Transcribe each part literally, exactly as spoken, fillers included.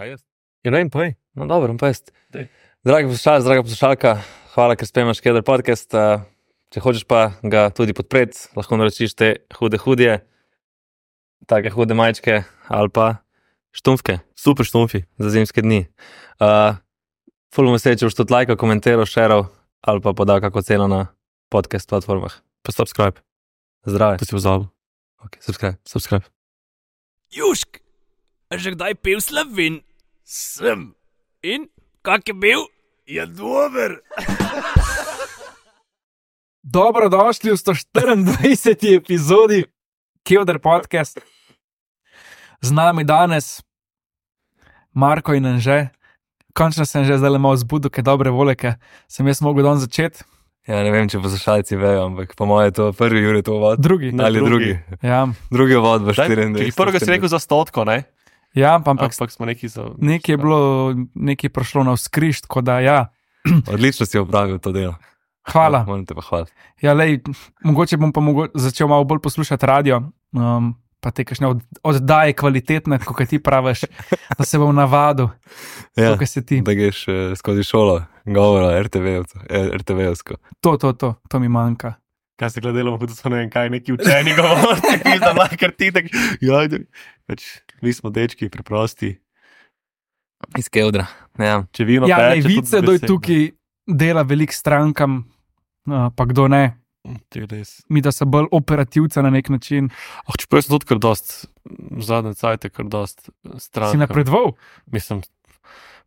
Kaj jaz? Ja, ne vem, povej. No, dobro, pa jaz. Dej. Dragi poslušalec, draga poslušalka, hvala, ker spremljaš Keder podcast. Uh, če hočeš pa ga tudi podpreti, lahko naročiš te hude hudje, take hude majčke ali pa štumfke. Super štumfi. Za zimske dni. Uh, ful bom vesel, če boš tudi lajkal, komentiral, šeral ali pa podal kako ceno na podcast platformah. Pa subscribe. Zdrave. To si pozabil. Ok, subscribe. Subscribe. Južk, a že kdaj pil Slovin? Sem. In, kak je bil? Je dober. Dobrodošli v sto štiriindvajseti epizodi Keder podcast. Z nami danes Marko in Anže. Končno sem že zdaj malo zbudil, kaj dobre volje, kaj sem jaz mogel dan začeti. Ja, ne vem, če poslušalci vejo, ampak po moje je to prvi uri to vod. Drugi. Ne, Ali drugi. drugi. Ja, Drugi vod v Daj, štiriindvajseti. Prvega si rekel za stotko, ne? ja ampak Ampak smo neki za... nekaj je bilo, nekaj je prišlo na vzkriž, tako da ja. Odlično si opravil to delo. Hvala. Moram te pa hvaliti. Ja, lej, mogoče bom pa mogo začel malo bolj poslušati radio, um, pa te kakšne od oddaje kvalitetne, kot ti praviš, da se bom navadil, Ja, to, kar se ti. da greš eh, skozi šolo, govora, er te ve-ovsko. To, to, to, to mi manjka. Kaj se gledalo, da so ne vem kaj, neki učeni govorci, ki da ima kar ti tak... Ja, več, mi smo dečki, preprosti. Iz Kevdra. Ja. Če vino Ja, peče, lej, tudi vice, kdo je besed, tukaj dela velik strankam, uh, pa kdo ne. ne. To je res. Mi, da so bolj operativca na nek način. Oh, čeprav sem tudi kar dost, v zadnje cajte kar dost stranka. Si napredoval? Mislim,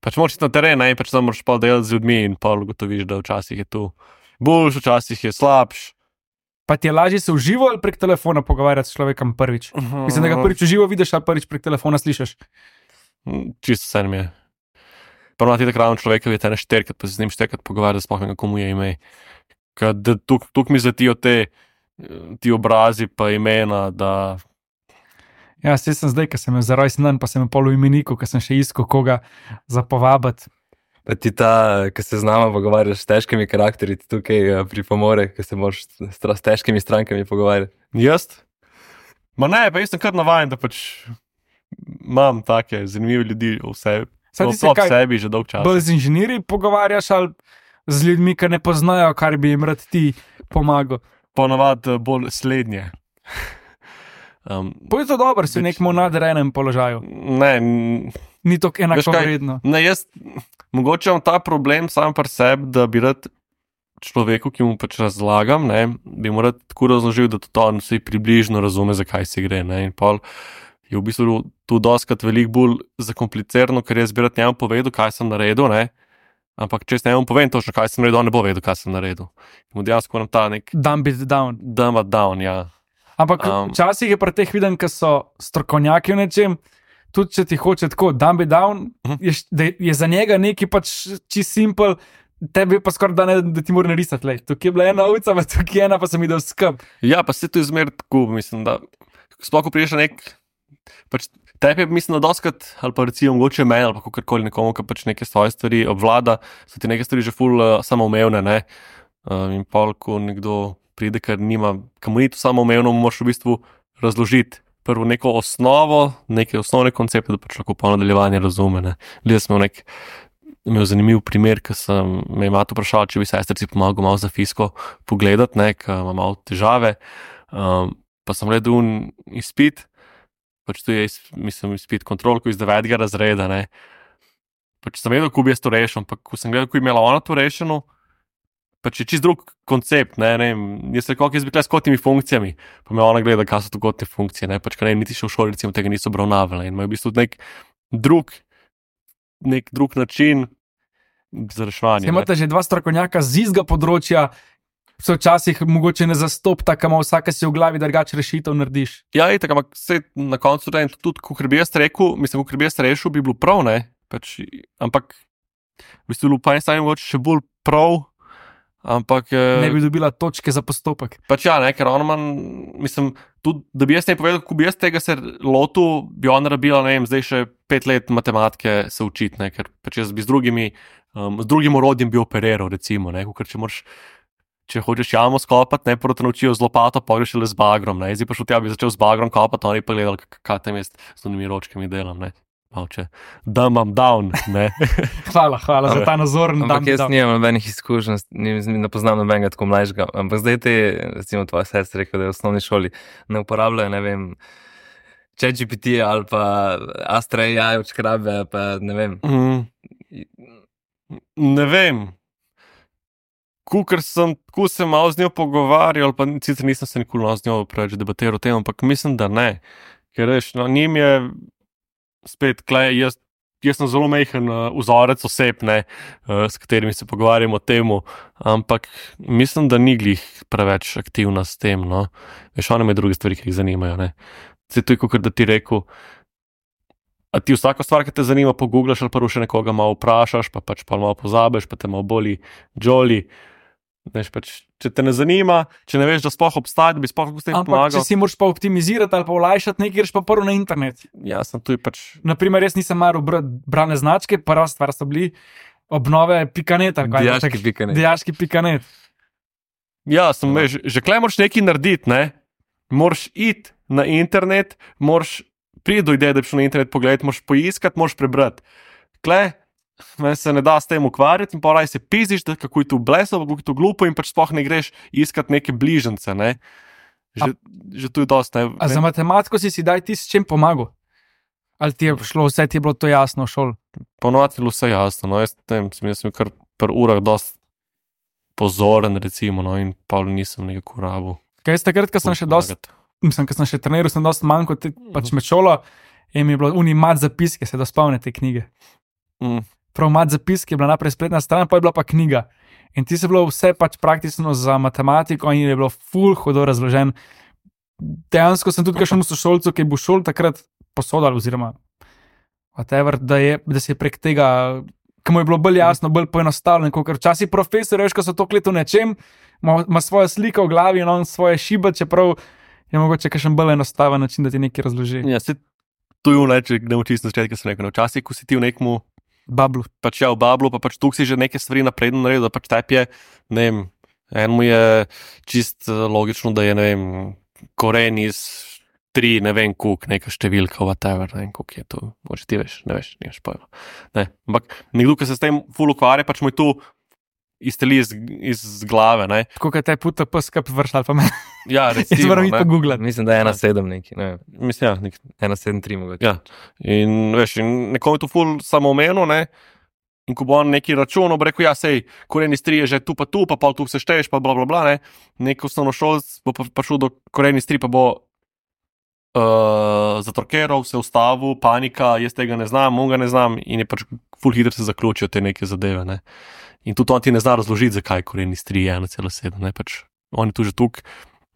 pač moraš iti na teren, ne, pač tam moraš pa delati z ljudmi in pa ugotoviš, da včasih je tu boljš, včasih je slabš. Pa ti je lažje se v živo ali prek telefona pogovarjati s človekom prvič? Mislim, da ga prvič v živo vidiš ali prvič prek telefona slišiš. Čisto vse mi je. Prvo ti takrat človeka je te ne šterkrat, pa se z njim šterkrat pogovarjati, da sploh ne komu je ime. Ker tuk, tuk mi zletijo te, ti obrazi pa imena, da... Ja, saj sem zdaj, ker sem imel za rojstni dan, pa sem imel pol v imeniku, ker sem še iskal koga za povabiti. Pa ti ta, ki se z nama pogovarjaš s težkimi karakteri, ti tukaj eh, pripomore, ki se moraš s, s težkimi strankami pogovarjati. Jaz? Ma ne, pa jaz sem kar navajen, da pač imam take zanimive ljudi v sebi. Saj No, ti se ob kaj- sebi že dolg čas. Bolj z inženirji pogovarjaš ali z ljudmi, ki ne poznajo, kar bi jim rad ti pomagal. Ponavadi bolj slednje. Um, Pa je to dobro, si v Več- nekem nadrejenem položaju. ne, n- Ni to Veš kaj? enakovredno. ne, jaz mogoče imam ta problem sam pri sebi, da bi rad človeku, ki mu pač razlagam, ne, bi mu rad tako razložil, da tudi on vsi približno razume, zakaj se gre. Ne, in pol je v bistvu tu doskrat veliko bolj zakomplicirano, ker jaz bi rad njemu povedal, kaj sem naredil, ne, ampak če jaz njemu povem točno, kaj sem naredil, on ne bo vedel, kaj sem naredil. In mu dejansko moram ta nek Dumb it down. dumb it down, ja. Ampak Um, včasih je pri teh videm, ki so strokovnjaki v nečem, tudi če ti hoče tako dumb it down, Mhm. je, š- da je za njega neki pač čist simpel, tebi pa skoraj da ne, da ti mora narisati. Lej. Tukaj je bila ena ulica, pa tukaj je ena, pa sem videl skup. Ja, pa se to je zmer tako, mislim, da sploh ko priješ na nek, pač tebi je, mislim, da doskrat, ali pa recimo mogoče meni, ali pa kakorkoli nekomu, ki pač neke svoje stvari obvlada, so ti neke stvari že ful uh, samoumevne, ne, uh, in pol, ko nekdo pride, ker nima, kam ni to samoumevno, mu moraš v bistvu razložiti prvo neko osnovo, neke osnovne koncepte, da pač lahko po nadaljevanje razume, ne. Glede smo nek, imel zanimiv primer, ker sem me je mati vprašala, če bi sestrici pomagal malo za fisko pogledati, ne, ker ima malo težave, um, pa sem gledal un izpit, pač to je, iz- mislim, izpit kontrolko iz devetega razreda, ne. Pač sem vedel, kako bi jaz to rešil, ampak ko sem gledal, kako je imela ona to rešeno, pač je čist drug koncept, ne, ne vem, jaz rekel, ok, jaz bi kle s kotnimi funkcijami, pa me ona gleda, kaj so to kotne funkcije, ne, pač, ker ne, niti še v šoli, recimo, tega niso obravnavali, in imajo v bistvu nek drug, nek drug način za reševanje. ne. Imate že dva strokovnjaka z istega področja, se včasih mogoče ne zastopta, kam vsaka si v glavi drugače rešitev narediš. Ja, itak, ampak se na koncu rejem, tudi, ko bi jaz rekel, mislim, ko bi jaz rešil, bi bilo prav, ne, pač, ampak, v bistvu, po eni strani mogoče še bolj prav, ampak... eh, Ne bi dobila točke za postopek. Pač ja, ne, ker on man, mislim, tudi, da bi jaz ne povedal, kako bi jaz tega se lotil, bi on rabila, ne vem, zdaj še pet let matematike se učiti, ne, ker pač jaz bi z drugimi, um, z drugim orodjem bi operiral, recimo, ne, ker če moraš, če hočeš jamo skopati, ne, prvo te naučijo z lopato, pa greš le z bagrom, ne, zdaj pa šel tja, bi začel z bagrom kopati, oni pa gledali, kaj tam jaz s temi ročkami delam, ne. malče, da imam down, ne. Hvala, hvala za ta nazor. Ampak jaz nimam nobenih izkušenj, ne poznam nobenega tako mlajšega. Ampak zdaj te, recimo tvoja sestra rekel, da je v osnovni šoli ne uporabljajo, ne vem, ChatGPT ali pa Astra A I, očkrabe, pa ne vem. Mm. Ne vem. Kukor sem, ko sem malo z njo pogovarjal, pa sicer nisem se nikoli malo z njo preveč debatiral o tem, ampak mislim, da ne. Ker veš, no, njim je spet, klej, jaz, jaz sem zelo mehen uh, vzorec oseb, ne, uh, s katerimi se pogovarjamo o temu, ampak mislim, da ni glih preveč aktivna s tem, no. Veš, ona ima druge stvari, ki jih zanimajo, ne. Se to je, kakor da ti rekel, a ti vsako stvar, ki te zanima, pogooglaš ali pa še nekoga malo vprašaš, pa pač pa malo pozabeš, pa te malo boli džoli. Veš, pač, če te ne zanima, če ne veš, da sploh obstaja, da bi sploh s tem pomagal. Ampak če si moraš pa optimizirati ali pa olajšati nekaj, greš pa prvo na internet. Ja, sem tu pač... Naprimer, jaz nisem maral brane značke, prva stvar so bili obnove pikanet. Dijaški pikanet. Dijaški pikanet. Ja, sem, veš, že klej moraš nekaj narediti, ne? Moraš iti na internet, moraš priti do ideje, da bi šel na internet pogledati, moraš poiskati, moraš prebrati. Klej, meni se ne da s tem ukvarjati in pa raj se piziš, da kako je to bleso, kako je to glupo in pač sploh ne greš iskati neke bližnjice, ne. Že, že tu je dost, ne. A za matematiko si si daj ti s čem pomagal? Ali ti je šlo, vse ti je bilo to jasno v šoli? Ponovati je bilo vse jasno, no, jaz tem, sem, jaz sem kar par urah dost pozoren, recimo, no, in pa nisem nekako rabil. Kaj jaz takrat, ko sem še dost, mislim, ko sem še treniral, sem dost manj kot pač med šolo in mi je bilo uni mat zapiske, se da spomne te knjige. Mm. Prav mat zapiske je bila naprej spletna stran, pa je bila pa knjiga. In ti se bilo vse pač praktično za matematiko in je bilo ful hudo razložen. Dejansko sem tudi kakšen sošolcu, ki je bil šol takrat posodal oziroma whatever, da, je, da se je prek tega, ki mu je bilo bolj jasno, bolj poenostavljeno, ker včasih profesor, veš, ko so to kleto nečem, ima, ima svojo sliko v glavi in on svoje šiba, čeprav je mogoče kakšen bolj enostaven način, da ti nekaj razloži. Ja, se tu je v neče, ne učiš na začetku, sem rekel, včasih, ko si ti v nekmu bablu. Pač ja, v bablu, pa pač tukaj si že neke stvari napredno naredil, da pač tebi je, ne vem, enemu je čist logično, da je, ne vem, koren iz tri, ne vem, kuk, neka številka, whatever, ne vem, kuk je to, moče ti veš, ne veš, nimaš pojma. Ne, ampak nekdo, ki se s tem ful ukvarja, pač mu je tu izteli iz, iz glave, ne. Tako, kaj te puta pskap vršla, ali pa me. Ja, recimo, jaz moram iti pogooglati. Mislim, da je ena sedem neki, ne vem. Mislim, ja, nek... ena sedem tri mogoče. Ja, in veš, in nekomu je to ful samoomenil, ne, in ko bo on neki račun, bo rekel, ja, sej, koren iz tri je že tu pa tu, pa pol tu vse šteješ, pa bla, bla, bla, ne, nek osnovnošolc bo pa prišel do koren iz tri, pa bo uh, zatrokeral, se ustavil, panika, jaz tega ne znam, on ga ne znam, in je pač ful hitro se zaključijo te neke zadeve, ne. In tudi on ti ne zna razložiti, zakaj koren iz tri je ena cela sedem, ne, pač on je tu že tuk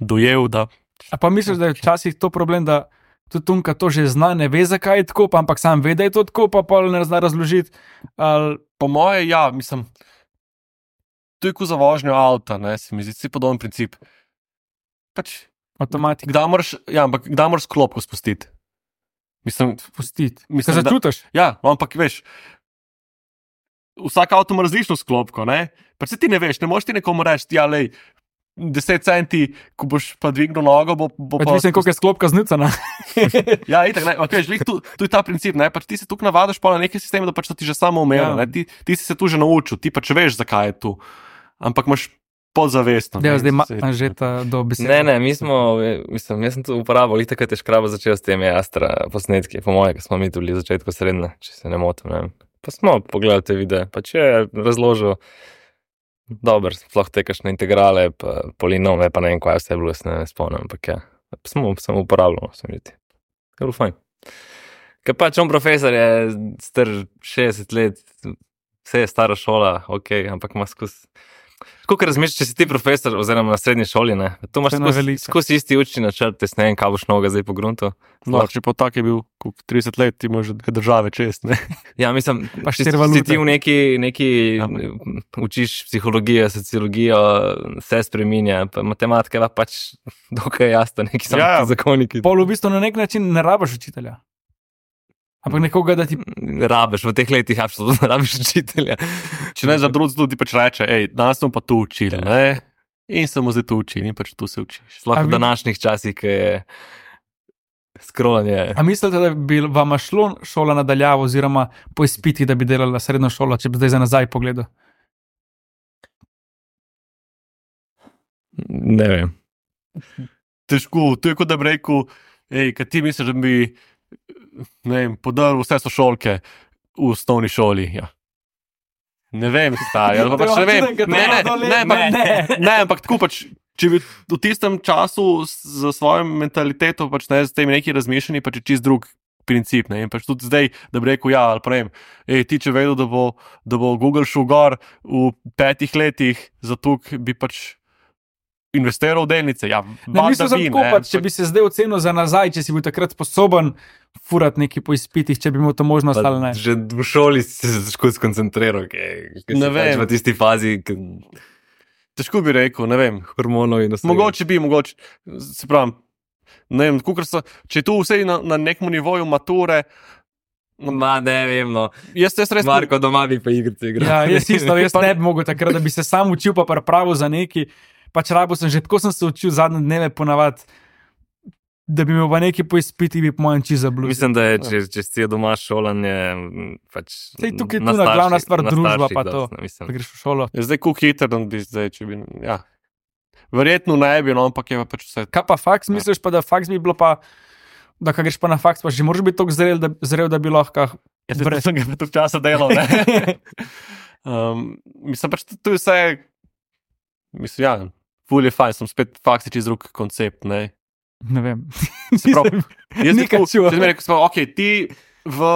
dojel, da... A pa misliš, da je včasih to problem, da tudi Tunka to že zna, ne ve, zakaj je tako, pa ampak sam ve, da je to tako, pa pa ne zna razložiti? Ali... Po moje, ja, mislim, to je ko za vožnjo avta, ne, se mi zdi, si podoben princip. Pač... Avtomatik. Kdaj moraš, ja, ampak kdaj moraš klopko spustiti? Mislim... Spustiti. Mislim, Kaj začutiš? Ja, ampak veš... Vsak avto ima različno sklopko, ne? Pa se ti ne veš, ne moš ti nekomu reči, ja, lej, deset centi, ko boš pa dvignil nogo, bo, bo pa... Mislim, koliko je sklopka znicana. Ja, itak, ne, ok, žlik, tu, tu je ta princip, ne, pač ti se tukaj navadaš pa na neke sisteme, da pač to ti že samo umelo, ja. ne, ti, ti si se tu že naučil, ti pač veš, zakaj je tu, ampak imaš podzavestno. Ja, zdaj ima že ta do besede. Ne, ne, mi smo, mislim, jaz sem tu uporabil, itak, kad je škraba začel s temi Astra posnetki, po moje, ko smo mi tu bili v začetku srednje, če se ne motim, ne vem. Pa smo pogledali te videe, pa če je razložil, dober, sploh te kakšne integrale, pa polinome, pa ne vem, kaj vse je bilo, jaz ne spomnim, ampak ja, smo, samo uporabljamo, sem videti. Je bilo fajn. Ker pač on profesor je star šestdeset let, vse je stara šola, ok, ampak ima skus. Kako razmišljaš, če si ti profesor oziroma na srednji šoli, ne? Tu imaš skus, skus isti učni načrt, jaz ne vem, kaj boš noga zdaj po gruntu. No, če pa tak je bil trideset let, ti imaš dve države čest, ne? Ja, mislim, pa če si ti v neki, neki ja, učiš psihologijo, sociologijo, se spreminja, pa matematika je pač dokaj jasno, neki samo ja, zakoniki. Pol v bistvu na nek način ne rabiš učitelja. Ampak nekoga, da ti... Rabiš, v teh letih absolutno ne rabiš učitelja. Če ne za drug zelo ti pač reče, ej, danes smo pa tu učili, ne? In samo zdaj tu učili in pač tu se učiš. Sploh v današnjih časih, ki je Scrollanje. A mislite, da bi vam šlo šola nadaljavo oziroma po izpitih, da bi delala srednjo šolo, če bi zdaj za nazaj pogledal? Ne vem. Težko, to je kot da bi rekel, ej, kaj ti misliš, da bi, ne vem, podaril vse sošolke v osnovni šoli, ja. Ne vem, stari, ali pa pač ne vem, ne, ne, ne, ne, ne, ne, ampak tako pač, če bi v tistem času za svojo mentaliteto, pač ne, z temi neki razmišljeni, pač je čist drug princip, ne, in pač tudi zdaj, da bi rekel, ja, ali pa ne vem, ej, ti če vedel, da bo, da bo Google šel gor v petih letih, zato bi pač investiral v delnice, ja, ne, mislim, da bi, tako, pač, če bi se zdaj ocenil za nazaj, če si bil takrat sposoben furati neki po izpitih, če bi imel to možnost ali ne. Že v šoli si se težko skoncentriral, ker si pač v tisti fazi, ker... Težko bi rekel, ne vem. Hormonov in ostalo. Mogoče bi, mogoče, se pravim, ne vem, kukor so, če je tu vse na, na nekom nivoju mature, Ma, ne vem, no. Jaz te res... Marko, doma bi pa igrice igral. Ja, jaz isto, jaz ne bi mogel takrat, da bi se sam učil pa pripravil za neki, pač rabo sem že, tako sem se učil zadnje dneve ponavadi, da bi imel pa neki po izpiti, bi po mojem čiz zabluzil. Mislim, da je, če, če si je doma šolanje, pač... Sej, tukaj je tu na glavna stvar družba pa to, dost, da greš v šolo. Je zdaj kuk hiter, da bi zdaj, če bi, ja. Verjetno ne bi, no, ampak je pa pač vse. Kaj pa faks, misliš pa, da faks bi bilo pa, da ka greš pa na faks, pa že moraš biti toliko zrel, da, zrel, da bi lahko... Ja, brez... sem ga pa toliko časa delal, ne? um, mislim pač, to je vse, mislim, ja, ful je fajn, sem spet faks je čez drug koncept, ne? Ne vem. Se pravi, jaz nekaj čuva. Če mi rekel, ok, ti v,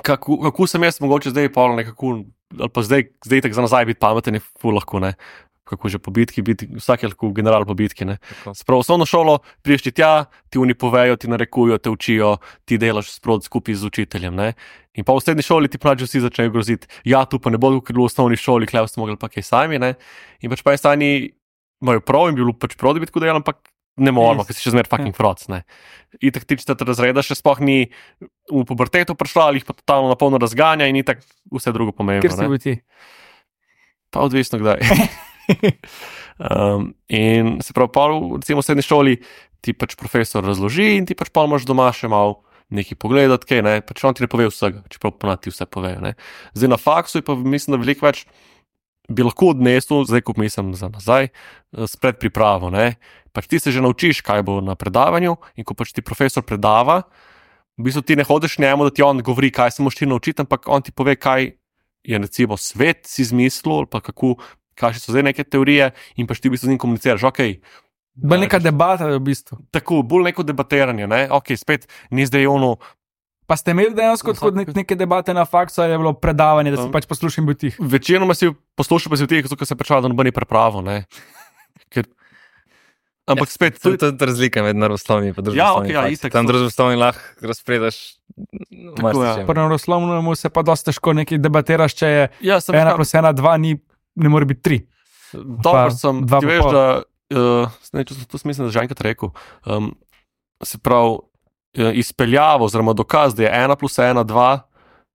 kako, kako sem jaz mogoče zdaj pol nekako, ali pa zdaj, zdaj tak za nazaj biti pameten je ful lahko, ne? Kako že po bitki, biti, vsak je lahko general po bitki, ne? Se pravi, osnovno šolo, priješ ti tja, ti oni povejo, ti narekujo, te učijo, ti delaš sprot skupaj z učiteljem, ne? In pa v srednji šoli ti pravi, vsi začnejo groziti, ja, tu pa ne bodo, ker v osnovni šoli, klev ste mogli pa kaj sami, ne? In pač pa je stani, imajo prav in bi bilo pač prav, da bi tako delal, ampak ne moramo, ker si še zmer fucking froc, ne. In tak ti četrt razreda še sploh ni v pubertetu prišla, ali jih pa totalno na polno razganja in itak vse drugo pomembno, Ker si bil ti? Pa odvisno kdaj. um, in se pravi, pol, recimo v srednji šoli ti pač profesor razloži in ti pač pol moraš doma še malo nekaj pogledati, kaj, ne, pač on ti ne pove vsega, čeprav ponad ti vse povejo, ne. Zdaj na faksu je pa mislim, da veliko več bi lahko odnesel, zdaj ko mislim za nazaj, s predpripravo, ne. Pač ti se že naučiš, kaj bo na predavanju in ko pač ti profesor predava, v bistvu ti ne hodiš njemu, da ti on govori, kaj se moraš ti naučiti, ampak on ti pove, kaj je recimo svet si izmislil, ali pa kako, kaj so zdaj neke teorije in pač ti v bistvu z njim komuniciraš, ok. Bolj neka debata v bistvu. Tako, bolj neko debatiranje, ne, ok, spet ni zdaj ono. Pa ste imeli dejansko tako nek, neke debate na faksu, ali je bilo predavanje, da si pač poslušal in bil tih? Večinoma si poslušal, pa si v tih, zato ker se pričal, da noben ni prepravo, ne. Ker... Ampak spet... To je tudi razlika med naravoslovnim in družboslovnim. Ja, ok, ja, itak. Tam družboslovni lahko razpredaš marsičem. Pri naravoslovnemu se pa dosti težko nekaj debatiraš, če je ja, ena plus ena, dva, ni, ne more biti tri. Dobro sem, ti veš, da, uh, ne, to, to smislim, da že enkrat rekel, um, se pravi, izpeljavo, oziroma dokaz, da je ena plus ena, dva,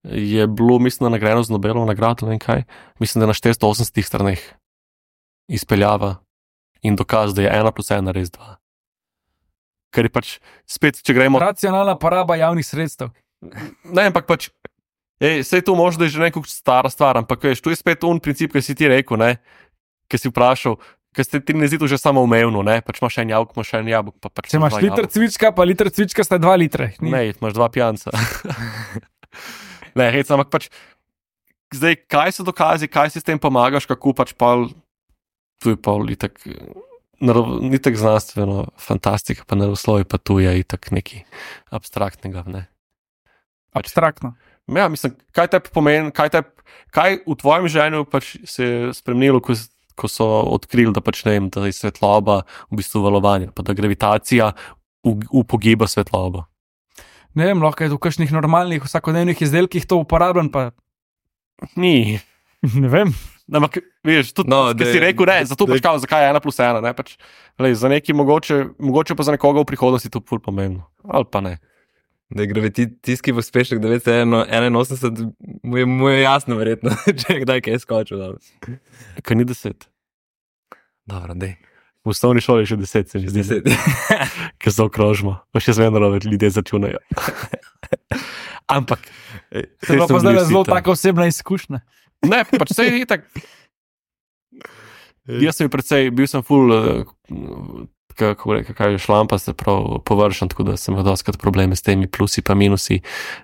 je bilo, mislim, nagrajeno z Nobelovo nagrado, ne vem kaj, mislim, da je na štiristo osemdesetih straneh izpeljava in dokaz, da je ena plus ena res dva. Ker je pač, spet, če gremo... Racionalna poraba javnih sredstev. Ne, ampak pač, ej, sej to možda je že neko stara stvar, ampak veš, tu je spet un princip, ki si ti rekel, ne, ki si vprašal, ker se ti ne zdi to že samo umevno, ne, pač imaš en jabolk, imaš en jabolk, pa pač... Če imaš liter cvička, pa liter cvička sta dva litre. Ni? Ne, imaš dva pijanca. Ne, hec, ampak pač, zdaj, kaj so dokazi, kaj si s tem pomagaš, kako pač pol, tu je pol itak, ni tak znanstveno fantastika, pa naravoslovje pa tu je itak nekaj abstraktnega, ne. Pač, abstraktno. Ja, mislim, kaj te pomeni, kaj te, kaj v tvojem življenju pač se je spremenilo, ko ko so odkrili, da pač ne vem, da je svetloba v bistvu valovanje, pa da gravitacija upogiba svetlobo. Ne vem, lahko je v kakšnih normalnih vsakodnevnih izdelkih to uporabljen, pa... Ni. Ne vem. Ampak, veš, tudi, no, ki si rekel, ne, zato pač kao, zakaj je ena plus ena, ne, pač, lej, za neki mogoče, mogoče pa za nekoga v prihodnosti to ful pomembno, ali pa ne. Da je gravitacijski pospešek devetsto enainosemdeset, mu je, mu je jasno verjetno, če je kdaj kaj skočil. Kaj ni deset? Dobro, dej. V osnovni šoli je še deset, se mi zdi. Ker se okrožimo, pa še zmerno ljudje začunajo. Ampak. To je pa zdaj zelo taka osebna izkušnja. Ne, pač se je itak. Jaz sem predvsej, bil sem ful, kako reka, kaj je šlampa, se prav površen, tako da sem imel doskrat probleme s temi plusi pa minusi,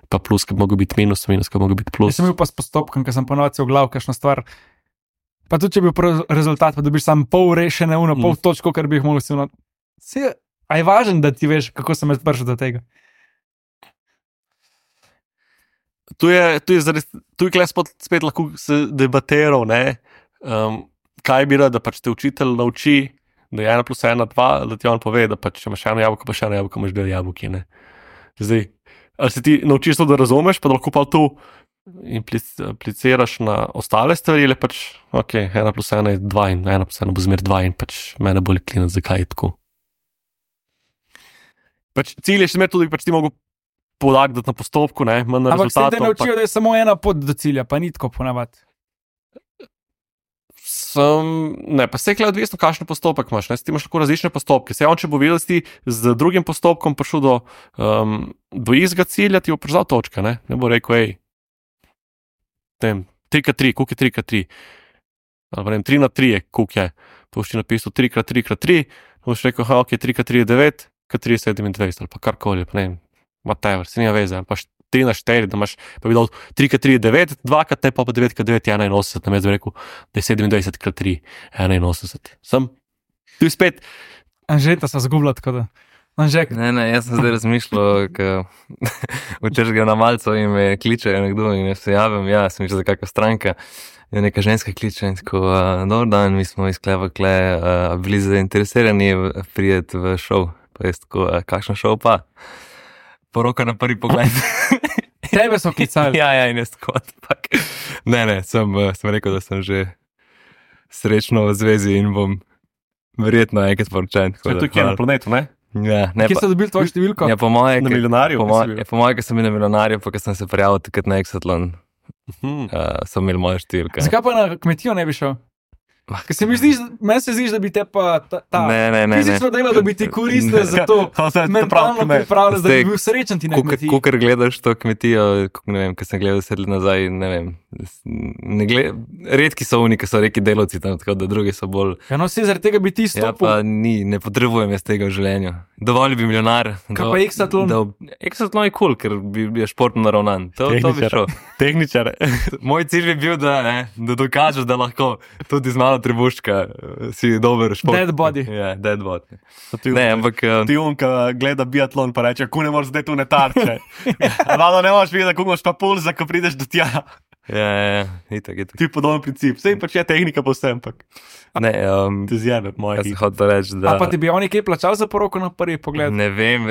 pa plus, kad mogo biti minus, minus, kad mogo biti plus. Jaz sem bil pa s postopkom, ker sem ponovil v glav, kakšno stvar. Pa tudi, če bi bil rezultat, pa dobiš sam pol rešene, uno, pol mm. točko, kar bi jih mogel si uno. A je važno, da ti veš, kako sem jaz prišel do tega? Tu je, tu je, zares, tu je kles spet lahko se debatiral, ne, um, kaj bi rad, da pač te učitelj nauči, da je ena plus ena, dva, da ti on pove, da pač če imaš eno jabolko, pa še eno jabolko, imaš dve jabolki, ne. Zdaj, ali se ti naučiš to, da razumeš, pa da lahko pa tu impliciraš na ostale stvari, ali pač, ok, ena plus ena je dva in ena plus ena bo zmer dva in pač mene bolj klinati, zakaj je tako. Pač cilj je še zmer tudi, pač ti mogo podagdati na postopku, ne, manj na rezultatom. Ampak se te naučijo, pa da je samo ena pot do cilja, pa ni tako ponavadi. Sem, ne, pa se je kle odvisno, kakšen postopek imaš, ne, ti imaš lahko različne postopke. Se on, če bo videl, ti z drugim postopkom prišel do, um, do istega cilja, ti bo prišel točka, ne, ne bo rekel, ej, tem, tri krat tri, koliko je tri krat tri, ali pa ne, tri na tri je, koliko je, pa boš ti napisal tri krat tri krat tri, boš rekel, ha, ok, tri krat tri je devet, krat tri je sedemindvajset, ali pa karkoli, pa ne, whatever, se nima veze, pa tri na štiri, da imaš, pa bi dal tri krat tri je devet, dva krat ne, pa pa devet krat devet je enainosemdeset, na mesto bi rekel, da je sedemindvajset krat tri enainosemdeset. Sem, tu je spet. Anžeta sem zgubila, tako da. Anžek. Ne, ne, jaz sem zdaj razmišljal, včeraj grem na malco in me kličejo nekdo in jaz se javim, ja, sem mišljal za kakva stranka, in neka ženska kliče in tako, uh, dober dan, mi smo iz Kleva Kle, uh, bili zainteresirani prijeti v šov, pa jaz tako, uh, kakšen šov pa? Poroka na prvi pogled. Tebe so klicali. Ja, ja, in jaz tako, tak. Ne, ne, sem, sem rekel, da sem že srečno v zvezi in bom verjetno enkrat poročen. To je tukaj na planetu, ne? Ja, ne. Kje so dobili tvojo številko? Ja, po moje, na milijonarju. Po moje, ja, po moje, ker sem bil na milijonarju, pa ker sem se prijavil takrat na Exatlon, Hmm. uh, so imeli moje številke. Zakaj pa na kmetijo ne bi šel? Ker se mi zdi, meni se zdi, da bi te pa ta, ta Ne, ne, ne, ne. fizično delo, da bi ti koristile za to, mentalno pripravljeno, da bi bil srečen ti na kmetiji. Kukor gledaš to kmetijo, ne vem, ker sem gledal sedli nazaj, ne vem, ne gled, redki so oni, ki so reki delovci tam, tako da drugi so bolj. Ja, no, vse zaradi tega bi ti Ja, stopil. pa ni, ne potrebujem jaz tega v življenju. Dovolj bi milijonar. Kaj pa Exatlon? Exatlon je kul, cool, ker bi je športno naravnan. To, to bi šel. Tehničar. Moj cilj bi bil, da, ne, da dokažeš, da lahko tudi z malo trebuščka si dober šport. Dead body. Ja, dead body. Ti, Ne, ampak uh, ti unka gleda biatlon pa reče, ko ne moreš zdaj tu ne tarče. Rado ne moreš videti, kako imaš pa pulza, ko prideš do tja. ja, ja, ja, itak, itak. Ti podoben princip. Sej pač je tehnika povsem, ampak Ne, um, ti zjebe, moj jaz sem hit. hotel reči, da. A pa ti bi oni kaj plačal za poroko na prvi pogled? Ne vem,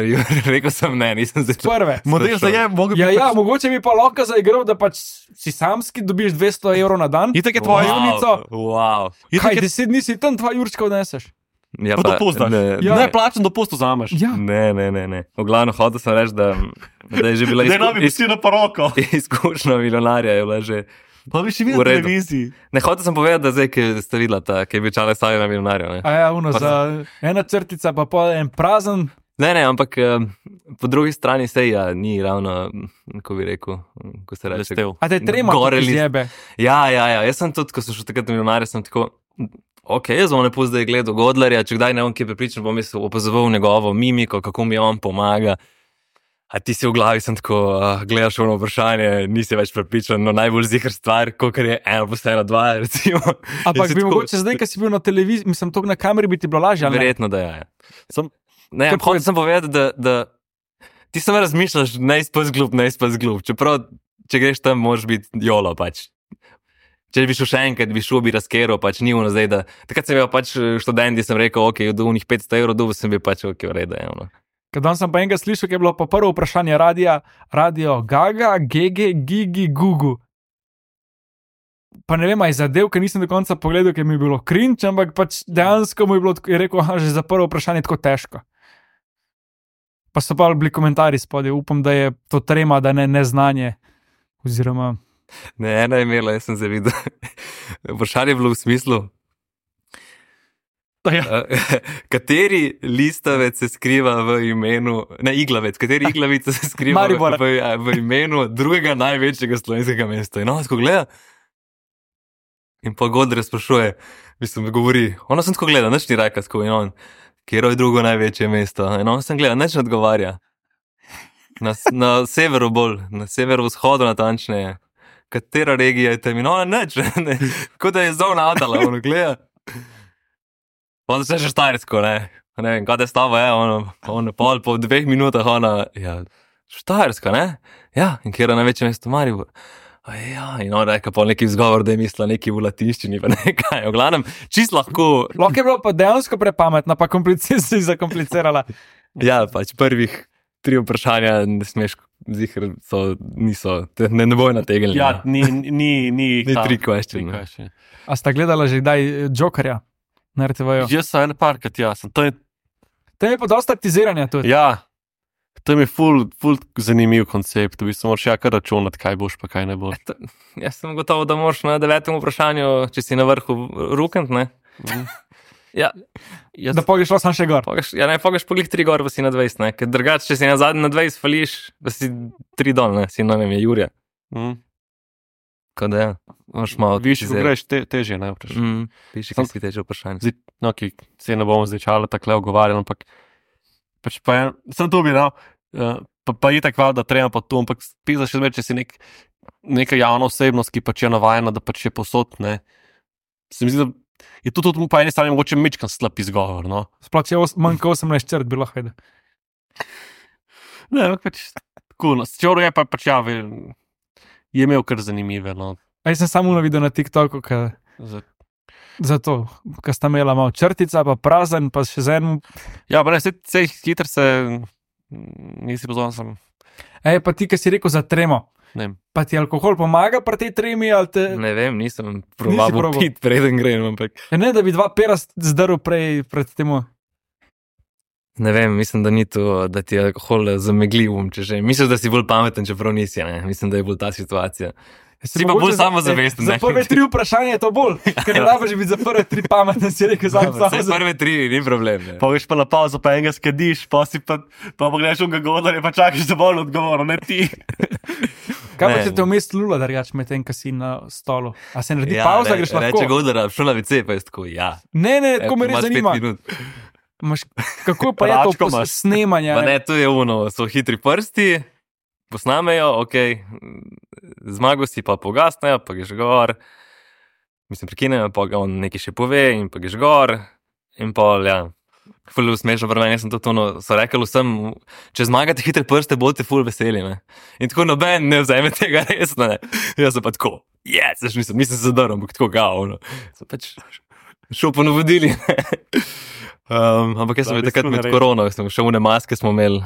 rekel sem ne, nisem zdaj. Prve. Model za je, mogo bi Ja, ja, pač- mogoče bi pa lahko zaigral, da pač si samski dobiš dvesto evrov na dan. Itak je tvoja Wow, junica. wow. Itak Kaj, je deset dni si tam, dva jurčka odneseš? Ja, pa dopust daš. ne, Ja. Ne, plačen dopust vzameš. Ja. ne, ne, ne, ne. V glavnem hotel sem reči, da, da je že bila Ne, izku, no bi vsi na poroko. izkušnja milijonarja, je bila že. Pa bi še V videl redu. televiziji. Ne, hotel sem povedati, da zdaj, ki ste videla, ta, ki je bil čale stavil na milijonarju. Ne. A ja, uno, Pa za ena črtica, pa pol en prazen. ne, ne, ampak eh, po drugi strani se ja, ni ravno, ko bi rekel, ko se reče. Blestev. A te trema Gore tukaj list. zjebe. Ja, ja, ja, jaz sem tudi, ko sem šel takrat na milijonarje, sem tako. Ok, jaz bom lepo zdaj gledal Godlerja, če kdaj ne bom kje prepričan, bom jaz opazoval njegovo mimiko, kako mi on pomaga. A ti si v glavi sem tako, uh, gledaš ono vprašanje, nisi več prepričan, no najbolj zihar stvar, kot je ena plus ena, dva, recimo. Ampak Jaz si bi tako- mogoče zdaj, ko si bil na televiziji, mislim, to na kameri bi ti bilo lažje, ali ne? Verjetno, da je. Ja. Sem, ne, Kaj hotel sem povedati, da, da ti samo razmišljaš, ne izpust glup, ne izpust glup. Čeprav, če greš tam, moraš biti jolo pač. Če bi šel še enkrat, bi šel, bi razkeral, pač ni ono zdaj, da. Takrat sem bil pač študent, sem rekel, ok, do unih petsto evrov, dobil sem bil pač ok, v redu, je ono. Ker danes sem pa enega slišal, ki je bilo pa prvo vprašanje radija, radio Gaga, Gege, Gigi, Gugu. Pa ne vem, aj zadev, ker nisem do konca pogledal, ker mi je bilo cringe, ampak pač dejansko mu je bilo, tako- je rekel, aha, že za prvo vprašanje tako težko. Pa so pa bili komentarji spodaj, upam, da je to trema, da ne neznanje. Oziroma, Ne, ena je imela, jaz sem se videl. Vprašanje je bilo v smislu. mesto, ja. Kateri listavec se skriva v imenu, ne iglavec, kateri iglavica se skriva v, Maribor. v, v imenu drugega največjega slovenskega mesta. In on tako gleda in pa Godre sprašuje, mislim, govori, ona sem tako gleda, nič ni rekla tako in on, kjer je drugo največje mesto. In on sem gleda, nič ne odgovarja. Na, na severu bolj, na severovzhodu natančneje. Katera regija je tam in ona nič, ne, kot da je zelo nadala, on gleda. On se še Štajersko, ne, ne vem, kada je stava, je, ono, ono, pol, po dveh minutah, ona, ja, Štajerska, ne, ja, in kjer je največje mesto Maribor. A ja, in on reka pol neki vzgovor, da je mislila neki v latinščini, pa nekaj, v glavnem, čist lahko. Lahko je bilo pa dejansko prepametno, pa komplici si zakomplicirala. Ja, pač prvih tri vprašanja, ne smeš, zihar so, niso, te, ne, ne bojo nategnili. Ja, ni, ni, ni, Ni ta- tri question, tri ne. question. A sta gledala že kdaj Jokerja na R T V-ju? Jaz sem en parkrat, ja, sem, to je, Tam je pa dosta taktiziranja tudi. ja, to je mi ful, ful zanimiv koncept, v bistvu moraš ja kar računati, kaj boš, pa kaj ne boš. Jaz sem gotovo, da moraš na devetem vprašanju, če si na vrhu rukent, ne. Ja, Jaz, Da pogledaj šlo sam še gor. Pogaš, ja, ne, pogaš poglih tri gor, pa si na dvajset, ne, ker drugače, če si na zadnji na dvajset fališ, pa si tri dol, ne, si, ne vem, je Jurija. mm, Tako da ja, moraš malo viš, ko taktizirati. greš, te, težje ne vprašaš. Mm, piši, Sam- kaj si teče vprašanje. Zdaj, no, ki se ne bomo zdaj čale tako ogovarjali, ampak pač pa en, sem to bi dal, uh, pa, pa je tako, da treba pa to, ampak pisa še zmeraj, če si nek, neka javna osebnost, ki pač je navajena, da pač je posod, ne. Se mi zdi, da je to tudi po eni strani mogoče mečkan slab izgovor, no. Sploh če je os- manj kot osemnajst črt, bi lahko vedel. Ne, ampak pač, tako, no, čoro je pa pač, ja, ve, je imel kar zanimive, no. A jaz sem samo videl na TikToku, ka, Za- zato, ker sta imela malo črtica, pa prazen, pa še z enim. Ja, pa ne, vse, vse hitro se, mm, nisi pozorn sem, Ej, pa ti, ki si rekel za tremo. ne vem. Pa ti alkohol pomaga pri tej tremi, ali te. Ne vem, nisem Nisi proval probal? pit, preden grem, ampak Ja, ne, da bi dva pera zdrl prej pred tem. ne vem, mislim, da ni to, da ti je alkohol zamegljiv, um, če že. Misliš, da si bolj pameten, čeprav nisi, ne. Mislim, da je bolj ta situacija. Si pa bolj samozavesten, Za ne. prve tri vprašanja je to bolj, ker ne rabiš biti za prve tri pameten, si rekel sam Vse sam. prve tri, ni problem. Ne. Pa greš pa na pauzo, pa enega skadiš, pa si pa, pa pogledaš unga govorja, pa čakaš, da bo on odgovoril, ne ti. Kaj pa Ne. če te vmes lula, da reč med tem, ko si na stolu? A se naredi Ja, pauza, re- greš lahko? Reče Godara, šel na ve ce, pa je tako, ja. Ne, ne, tako me Evo, res imaš pet zanima. minut. Maš, kako pa je to Račko pos- imaš. snemanje? Pa ne, to je ono, so hitri prsti, posnamejo, ok, zmago si pa pogasnejo, pa greš gor, mislim, prekinejo, pa ga on nekaj še pove in pa greš gor in pol, ja. Ful smešno, pri meni sem to tono, so rekli vsem, če zmagate hitre prste, boste ful veseli, ne. In tako noben ne vzame tega resno, ne. Jaz sem pa tako, yes, jaz nisem, nisem se zadrl, ampak tako ga, ono. Sem pač šel po navodili, ne. Um, ampak jaz sem Da, bil takrat bistvu med ne korono, sem še une maske smo imeli,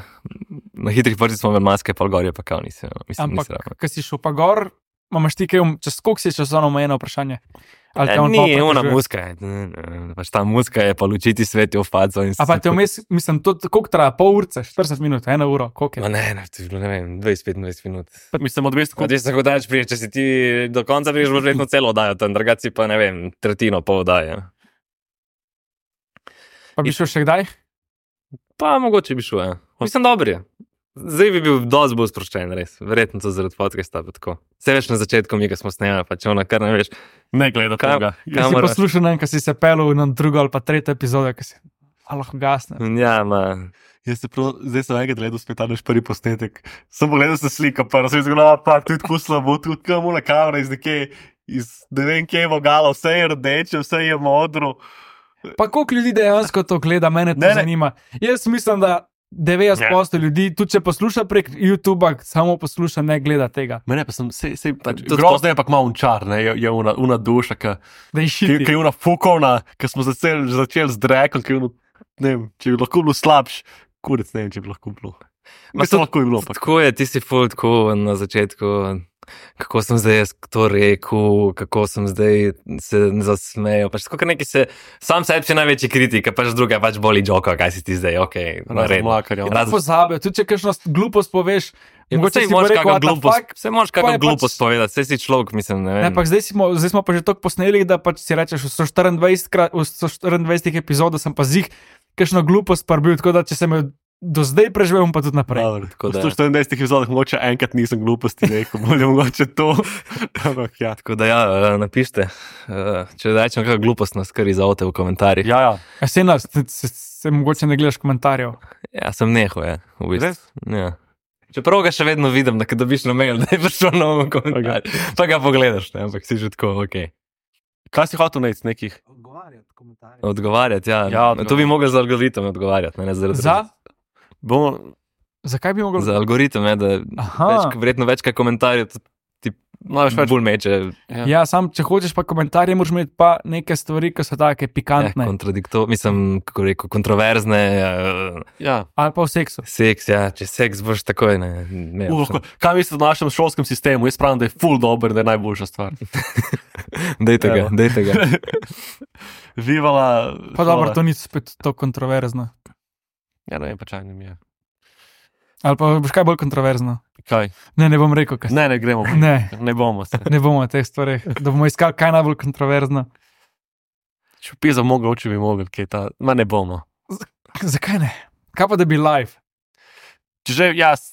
na hitrih prstih smo imeli maske, pa gor je pa kao nisi, no. Mislim, Ampak, nisi ravno. ko si šel pa gor, imaš ti kaj, um- čez koliko si časovno omejeno vprašanje? Ali te Ja, on ni, pol ona prekažuje? muska je, ne, ne, pač ta muska je pa lučiti svet v faco. in A pa si- te vmes, mislim, to koliko traja, pol urce, štirideset minut, eno uro, koliko je? Ma ne, ne, to je bilo, ne vem, dvajset petindvajset minut. Mislim, odvisno, Kot jaz tako daleč priješ, če si ti do konca priješ, boš verjetno celo oddajo, tam drugače si pa, ne vem, tretjino pol oddaje. Pa bi šel še kdaj? Pa mogoče bi šel, ja. Mislim, dobro je. Zdaj bi bil dosti bolj sproščen, res. Verjetno to zaradi podcasta, pa tako. Vse več na začetku mi, ko smo snemali, pa če ona kar ne veš. ne gleda Kam- tega. Jaz kam- si Kamera. poslušal, ne vem, ko si se pelil na drugo ali pa tretjo epizodo, ko si, a lahko gasne. Ja, ma. Jaz se prav, zdaj sem enkrat gledal spet ta naš prvi posnetek. Sem pogledal se slika, pa sem zgodil, pa tudi tako slabo, tudi kam una kamera iz neke, iz ne vem kje vogala, vse je rdeče, vse je modro. Pa koliko ljudi dejansko to gleda, mene to Ne, ne. zanima. Jaz mislim, da devetdeset odstotkov ljudi, tudi če posluša prek YouTuba, samo posluša, ne gleda tega. Mene pa sem, sej, sej, Pa tudi grozno je pa malo unčar, ne, je, je una, una duša, ki Da je ki, šiti. ki je una fukovna, ki smo začeli začel z drekom, ki je ono, ne vem, če bi lahko bilo slabš, kurec ne vem, če bi lahko bilo. Ma to lahko je bilo. Pa. Tako je, ti si ful tako na začetku, kako sem zdaj jaz to rekel, kako sem zdaj se zasmejal. Pač tako neki se, sam sebi si največji kritik, pač druga pač boli joka, kaj si ti zdaj, okej. Razen mlakarjev. Ja, pozabijo, tudi če kakšno glupost poveš, mogoče si moraš kakšno glupost, se moraš kakšno pač- glupost povedati, saj si človek, mislim, ne vem. Ne, pa zdaj smo, zdaj smo pa že toliko posneli, da pač si rečeš, v sto štiriindvajsetih v sto štiriindvajsetih epizodah sem pa zih kakšno glupost parbil, tako da če sem jo do zdaj preživel, pa tudi naprej. Dobar, Tako v da- sto štiriindvajsetih epizodah mogoče enkrat nisem gluposti rekel, bolje mogoče to. Ampak ja. Tako da ja, eh, napište, eh, če rečem kakšno glupost, nas kar izavte v komentarjih. Ja, ja. A se nas, se, se, se mogoče ne gledaš komentarjev. Ja, sem nehal, ja, v bistvu. Res? Ja. Čeprav ga še vedno vidim, da ko dobiš na mail, da je prišel nov komentar, okay. Pa ga pogledaš, ne, ampak si že tako, ok. Kaj si hotel najti nekih? Odgovarjati, ja. Ja, To bi mogel za algoritem odgovarjati, ne, ne zaradi. Za? Bomo, Zakaj bi mogel? Za algoritem, je, da Aha. več, verjetno več kaj komentarjev ti no, več več. bolj meče. Ja. Ja, sam, če hočeš pa komentarje, moraš imeti pa neke stvari, ki so take Ja, pikantne. kontradiktor, mislim, kako rekel, kontroverzne, uh, Ja. Ali pa v seksu. seks, ja, če seks boš takoj, ne, ne. Uh, lahko- kaj mislite o našem šolskem sistemu? Jaz pravim, da je full dober, da je najboljša stvar. Dejte ga, Evo. dejte ga. Vivala. Pa dobro, šola. to ni spet to kontroverzno. Ja, ne vem, pa čaj mi je. Ali pa boš kaj bolj kontroverzno? Kaj? Ne, ne bom rekel, kaj. Ne, ne gremo. Ne. Ne bomo se. Ne bomo o teh stvareh, da bomo iskali kaj najbolj kontroverzno. Če bi za mogel, če bi mogel, kaj ta. Ma ne bomo. Zakaj ne? Kaj pa da bi live? Če že jaz,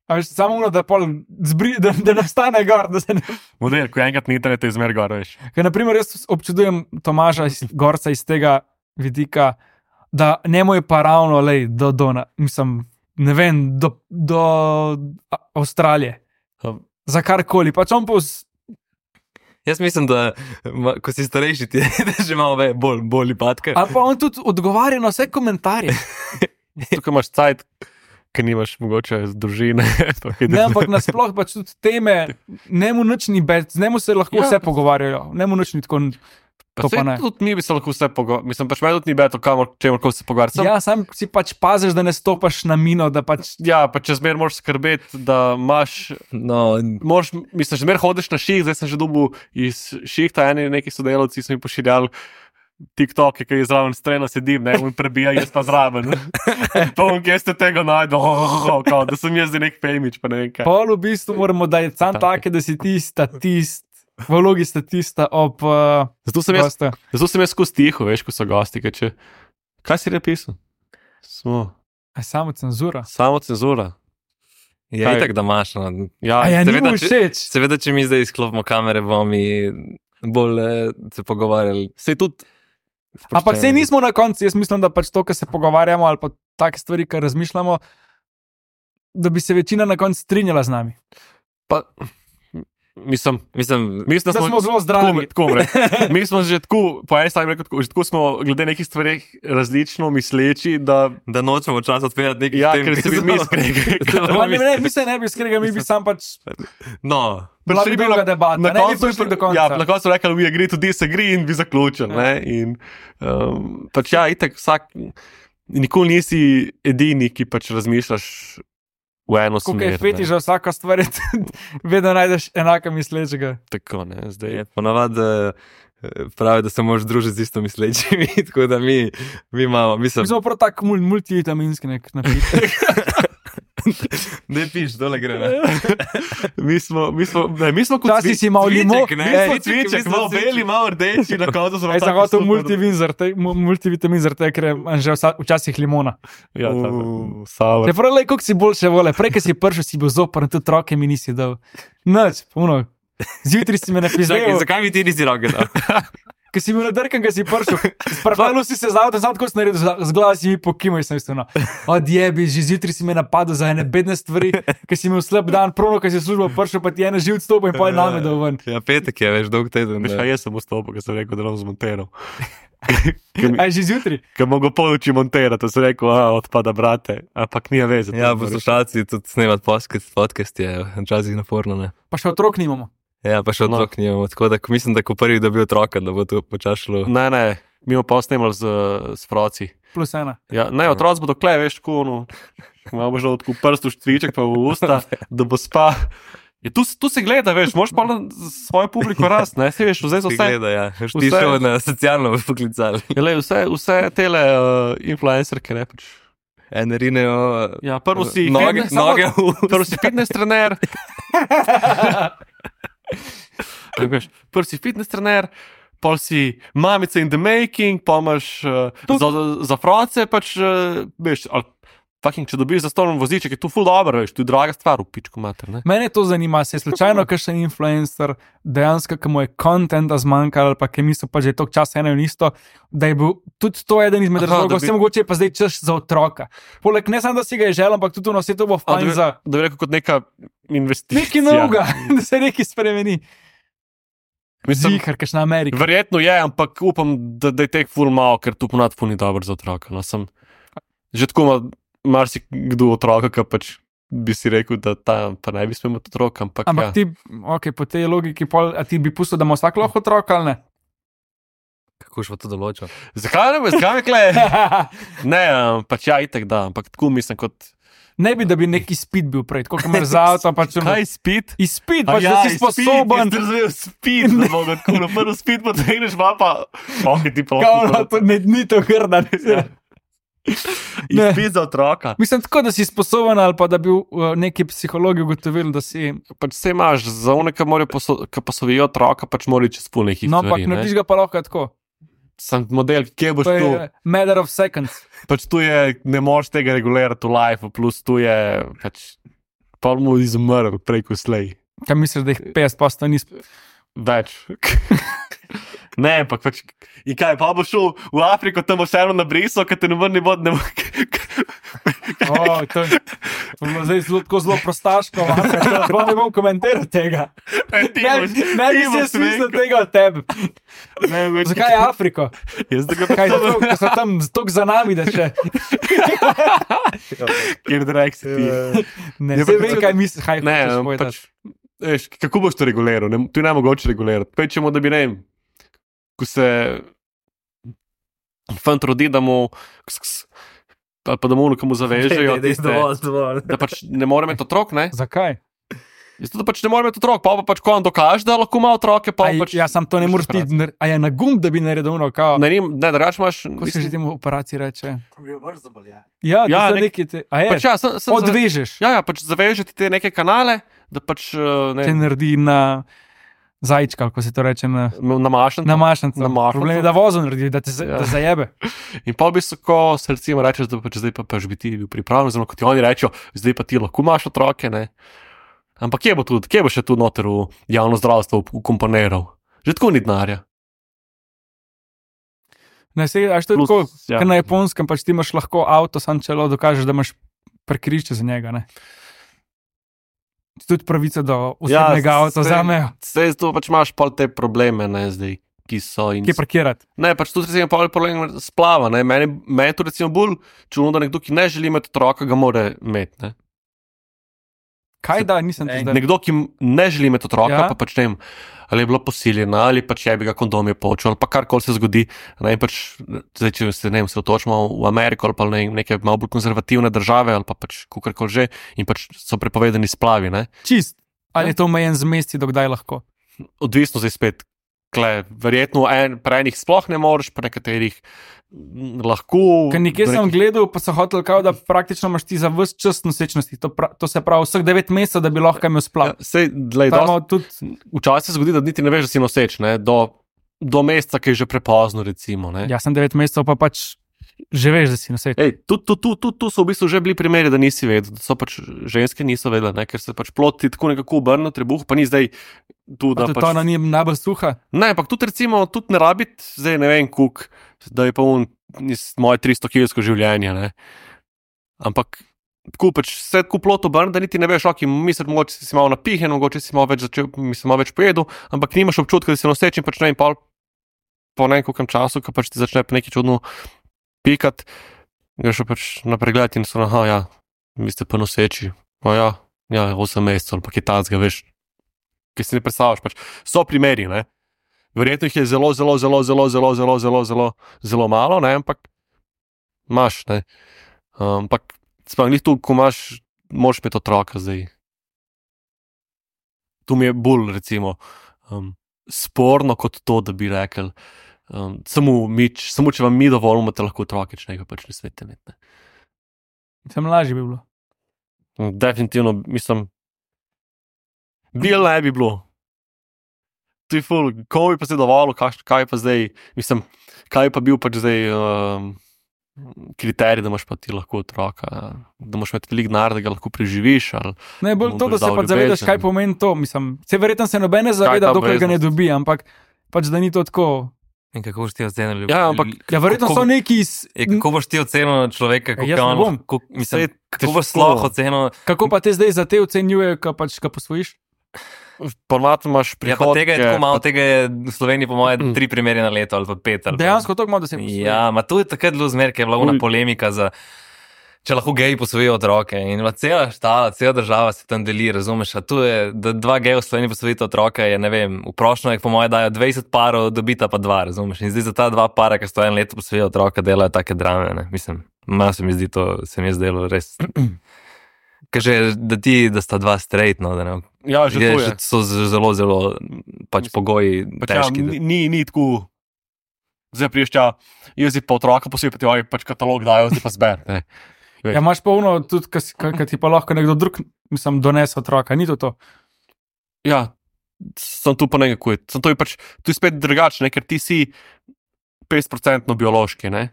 A veš, samo ono, da, pol zbri, da, da nastane gor. Da se ne... model, ko je enkrat na internetu izmer gor, veš. Ker, naprimer, jaz občudujem Tomaža iz Gorca iz tega vidika, da njemu je pa ravno lej, do, do, na- mislim, ne vem, do, do A- Avstralije. Um, Za karkoli. Pač on pa vz... Jaz mislim, da ma, ko si starejši, ti je že malo ve- bolj, bolj patke. Ali pa on tudi odgovarja na vse komentarje. Tukaj imaš cajt, ker nimaš mogoče z družine. pa kaj Ne, da- ampak nasploh pač tudi teme, njemu nič ni več, z njemu se lahko Ja. vse pogovarjajo, njemu nič ni tako. Pa To saj pa ne. tudi mi bi se lahko vse pogovarjali. Mislim, pač meni tudi ni beto, kamor, čemor ko se pogovarjati. Sam- Ja, sam si pač paziš, da ne stopaš na mino, da pač Ja, pa če zmer moraš skrbeti, da imaš, No, moraš, mislim, zmer hodiš na ših, zdaj sem že dobil iz šihta, eni neki sodelavci so mi pošiljali TikTok, ki je zraven strena sedim, ne, in prebija, jaz pa zraven. Pa on, kje ste tega najdel, oh, oh, oh, kao, da sem jaz zdaj nek pejmič, pa ne vem kaj. pol v bistvu moramo dati sam take, da si ti statist, v vlogi statista ob uh, Zato sem jaz, gostu. zato sem jaz skozi tiho, veš, ko so gosti, ker če, kaj si napisal? Smo, A samo cenzura. samo cenzura. je Kaj? itak, da imaš. No. Ja, A ja, ni seveda, mu če- všeč. Seveda, če mi zdaj izklopimo kamere, bomo mi bolj eh, se pogovarjali. sej tudi, Ampak sej nismo na koncu, jaz mislim, da pač to, kar se pogovarjamo, ali pa take stvari, kar razmišljamo, da bi se večina na koncu strinjala z nami. pa, mislim, Mislim, mislim, Da smo zelo zdravi. Tako, tako bom rekel. Mi smo že tako, po eni strani rekel, tako, že tako smo glede nekih stvari različno misleči, da da nočemo čas odpirati nekaj ja, tem, ker ki se bi so- mi skregali. Pa ne, ne, mi se ne bi skregali, mi bi sam pač No, bila bi dolga debata, Na ne bi koncu prišli bi do konca. Ja, na koncu so rekli, we agree to disagree in bi zaključili. Ja. Ne? In um, pač ja, itak vsak, nikoli nisi edini, ki pač razmišljaš v eno Ko smer. je fetiš za vsako stvar, je tudi vedno najdeš enaka mislečega. Tako, ne, zdaj. je ponavadi eh, pravi, da se moraš družiti z isto mislečimi, tako da mi, mi imamo, mislim, Mi smo prav tak mul, multivitaminski nek napitek. ne piš, dole gre. Ne? Mi smo, mi smo, ne, mi smo kot Včasih si imel cviček, limon, ne? Mi ne, smo Cviček, cviček, mislim, malo cviček. beli, malo rdeči, na koncu smo Jaz sem tako hotel super. multivin zaradi mu- multivitamin, zaradi tega, ker je že vsa, včasih limona. Ja, Uh. tako, sour. Te prav, lej, koliko si boljše vole, prej, ko si prišel, si bil zoper, tudi roke mi nisi dal. Noč, puno. Zjutraj si me Zakaj, napisal, zakaj mi ti nisi roke dal? ker si bil nadrkan, ko si prišel. Spravljal si se zavod, samo tako si naredil, z glava si mi pokimal, sem isto. Odjebi, že zjutraj si me napadel za ene bedne stvari, ker si imel slab dan, prono, ko si službo prišel, pa ti je ena živ stopil in pa je name dal ven. Ja, petek je, veš, dolg teden. Veš, da. a jaz sem vstopil, ker sem rekel, da bom zmontiral. Aj že zjutraj. Ker mogo poluči montirati, to sem rekel, a odpada brate, ampak ni veze. Ja, poslušalci tudi snemati podcast, podcast je včasih naporno, ne? Pa še otrok nimamo. Ja, pa še No. otrok nimamo, tako da ko mislim, da ko prvi dobi otroka, da bo to počaslo. Ne, ne, mi smo pa snemali z, z froci. Plus ena. Ja, ne, otroci bodo kle, veš, tako, no, malo bo že tako prst v štriček pa v usta, da bo spa. Ja, tu, tu se gleda, veš, moraš pa na svojo publiko rast, ne, si veš, vzaj za Ti vse. gleda, ja. Veš, ti vse- šel na socialno poklicali. Ja, lej, vse, vse tele uh, influencerke, ne, pač. Ene rinejo Ja, prvo si noge, fitness, samo- noge v prvo si fitness trener. Tako veš, prvo si fitness trener, pol si mamica in the making, pa imaš uh, za, za froce, pač, uh, veš, ali fucking, če dobiš za stolom voziček, je tu ful dobro, veš, tu je draga stvar, v pičku mater, ne. Mene to zanima, se je slučajno kakšen influencer dejansko, ki mu je kontenta zmanjkalo, ali pa ki misli pa že toliko časa eno in isto, da je bil tudi to eden izmed Aha, razlogov, da bi- vse mogoče je pa zdaj čas za otroka. Poleg ne samo, da si ga je želel, ampak tudi ono, vse to bo A, da, fajn bi, za da bi rekel kot neka investicija. nekaj novega, da se nekaj spremeni. Mislim, Zihar, kakšna Amerika. verjetno je, ampak upam, da, da je teh ful malo, ker tu ponad ful ni dobro za otroka. No, sem, že tako ima marsikdo otroka, ki pač bi si rekel, da ta pa ne bi smel imeti otroka, ampak, Ampak ja. ti, ok, po tej logiki, pol, a ti bi pustil, da ima vsak lahko otroka ali ne? Kako še pa to določa? Zakaj ne bi, zakaj ne kle? Ne, um, pač ja, itek da, ampak tako mislim kot. Ne bi, da bi neki izpit bil prej, kot imaš za avto. Pač, Kaj spit? izpit, A pač, ja, da si sposoben. Jaz sem razumel spit, da bo tako na prvi spit potegneš, pa pa, ok, ti pa Kao, no, to ne, ni to grda. Ja. Ne. Izpit za otroka. Mislim, tako da si sposoben, ali pa da bi uh, neki psihologi ugotovili, da si. Pač se imaš, za one, ki morajo poso, ki posovijo otroka, pač morajo čez pol nekih No, ampak stvari. narediš ga pa lahko tako. Sam model, kje boš To tu? je matter of seconds. Pač tu je, ne moreš tega regulirati v life, plus tu je, pač, pa mu izumrl preko slej. Kaj misliš, da jih petdeset posto ni? sp- Več. Ne, ampak pač. In kaj, pa boš šel v Afriko, tam boš eno na briso, ker te ne vrni bod, ne bo. Oh, to je to je bilo zdaj zelo, tako zelo prostaško. Sploh ne bom komentiral tega. Ne, ne bi se smislil tega od tebe. Zakaj Afriko? Jaz da ga Kaj, zato, ker so tam tako za nami, da še kjer direkt si ti. ne Ja, vem, pa- kaj misliš. Kaj Ne, hočeš povedati. pač, veš, kako boš to reguliral? Ne, to je nemogoče regulirati. Pečemo, da bi ne vem, ko se fant rodi, da mu, ks, ks, ali pa da mu nekomu zavežejo, tiste, dovolj. da pač ne more imeti otrok, ne? Zakaj? Zato, da pač ne more imeti otrok, pa pa pač ko on dokaže, da lahko ima otroke, pa Aj, pač. ja, sam to ne moreš ti. nar- A je na gum, da bi naredil ono, kao. Ne, ne, ne drugače imaš. Kako se že temu operaciji reče? Ja. Ja, Ja, ja nek- neki te. A je, Pač, ja, sem, sem zave- odvežeš. ja, ja, pač zavežeti te neke kanale, da pač uh, Te ne, naredi na zajčka, kako se to reče, na, na mašnico. na mašnico. Na mašnico. Problem je, da vozo naredi, da te za- Ja. da zajebe. In pa v bistvu, ko se recimo rečeš, da pač zdaj pa, pač bi ti bil pripravljen, oziroma kot ti oni rečejo, zdaj pa ti lahko imaš otroke, ne. Ampak kje bo, tudi, kje bo še tu noter v javno zdravstvo ukomponiral? Že tako ni denarja. Ne, se, až to je Plus, tako, ja. ker na Japonskem pač ti imaš lahko avto, sam če lo dokažeš, da imaš parkirišče za njega. Ne? Tudi pravico do osebnega ja, avta zamejo. Zdaj tu pač imaš pol te probleme, ne zdaj, ki so. In, Kje parkirati? ne, pač tudi recimo pol problem splava, ne. Meni, meni je to recimo bolj čudno, da nekdo, ki ne želi imeti otroka, ga mora imeti, ne. Kaj da, nisem ti zdaj. Nekdo, ki ne želi imeti otroka, Ja. ja. pa pač ne vem, ali je bila posiljena, ali pač je bi ga kondom je počel, ali pa karkoli se zgodi. Ne, in pač, zdaj, če se ne vem, se otočimo v Ameriko ali pa ne, neke malo bolj konzervativne države, ali pa pač kakorkoli že, in pač so prepovedani splavi. Ne. Čist. Ali Ja. je to omejen z mesti, dokdaj lahko? Odvisno zdaj spet. Kle, verjetno en, pri enih sploh ne moreš, pri nekaterih m, lahko. Ker nekje do sem nekih- gledal, pa so hotel, kao, da praktično imaš ti za vse čas nosečnosti. To, pra, to se pravi vseh devet mesecev, da bi lahko imel Ja, splav. sej, glej, Pa dosti- imamo tudi, Včasih se zgodi, da niti ne veš, da si noseč, ne, do, do meseca, ki je že prepozno, recimo. Ne. ja, sem devet mesecev, pa pač že veš, da si noseč. Ej, tu, tu, tu, tu, tu so v bistvu že bili primeri, da nisi vedel, da so pač ženske niso vedele, ne, ker se pač plot ti tako nekako obrne, trebuh, pa ni zdaj tu, Pa da tudi pač. to ona ni najbolj suha. Ne, ampak tudi recimo, tudi ne rabiti, zdaj ne vem, kuk, da je pa on iz moje tristo kilsko življenje, ne. Ampak tako pač se tako plot obrne, da niti ne veš, ok, misliš, mogoče si malo napihen, mogoče si malo več začel, mislim, malo več pojedel, ampak nimaš občutka, da si noseč in pač ne vem, pol po nekem času, ko pač ti začne pa nekaj čudno pikati, greš pa pač na pregled in so, aha, ja, vi ste pa noseči, o ja, ja, osem mesecev ali pa kaj tacga, veš, ki si ne predstavljaš, pač so primeri, ne. Verjetno jih je zelo, zelo, zelo, zelo, zelo, zelo, zelo, zelo, zelo malo, ne, ampak imaš, ne. Ampak, sploh ni tu, ko imaš, moraš imeti otroka zdaj. Tu mi je bolj, recimo, um, sporno kot to, da bi rekel, um, samo mič, samo če vam mi dovolimo, te lahko otroke, če nekaj pač ne smete imeti, ne. Sem lažje bi bilo. Definitivno, mislim, bil ne bi bilo. To je ful, komu bi pa zdaj dovolil, kaj, kaj pa zdaj, mislim, kaj pa bil pač zdaj um, kriterij, da imaš pa ti lahko otroka, da imaš imeti veliko denar, da ga lahko preživiš, ali Ne, bolj mu to, da boš se dal pač zavedaš, ljubezen. kaj pomeni to. Mislim, se verjetno se nobene zaveda, ta dokler ga ne obveznost? dobi, ampak pač da ni to tako. In kako boš ti ocenil ljubezen? Ja, ampak Ja, verjetno Kako- so neki, iz, Je, kako boš ti ocenil človeka, kako jaz ne on, bom. kako, mislim, Saj kako boš težko. sploh ocenil? kako pa te zdaj za te ocenjujejo, ko pač ga posvojiš? ponovadi imaš Ja, pa prihodke. tega je tako malo, tega je v Sloveniji po mojem Mm. tri primere na leto ali pa pet. Ali pa. Dejansko tako malo, da se posvojiš. Ja, ma to je takrat bilo zmer, ker je bila Ful. ona polemika za, če lahko geji posvojijo otroke. In bila cela štala, cela država se tam deli, razumeš? A tu je, da dva geja v Sloveniji posvojita otroka, je ne vem, v prošnjah po mojem dajo dvajset parov, dobita pa dva, razumeš? In zdaj za ta dva para, ki sto en leto posvojijo otroka, delajo take drame, ne? Mislim, malo se mi zdi to, se mi je zdelo res. Kaže, da ti, da sta dva straight, no, da ne. Ja, že Je, to je. že so z- zelo, zelo pač pogoji Pač ja, težki. ni, ni, ni tako, zdaj priješ tja, jaz si pa otroka posebej, ti pač katalog dajo, zdaj pa zber. Ne. Ja, imaš pa uno, tudi, ki ti pa lahko nekdo drug, mislim, donese otroka, ni to to. Ja, sem tu pa nekako, sem to je pač, tu je spet drugače, ne, ker ti si petdeset procentno biološki, ne.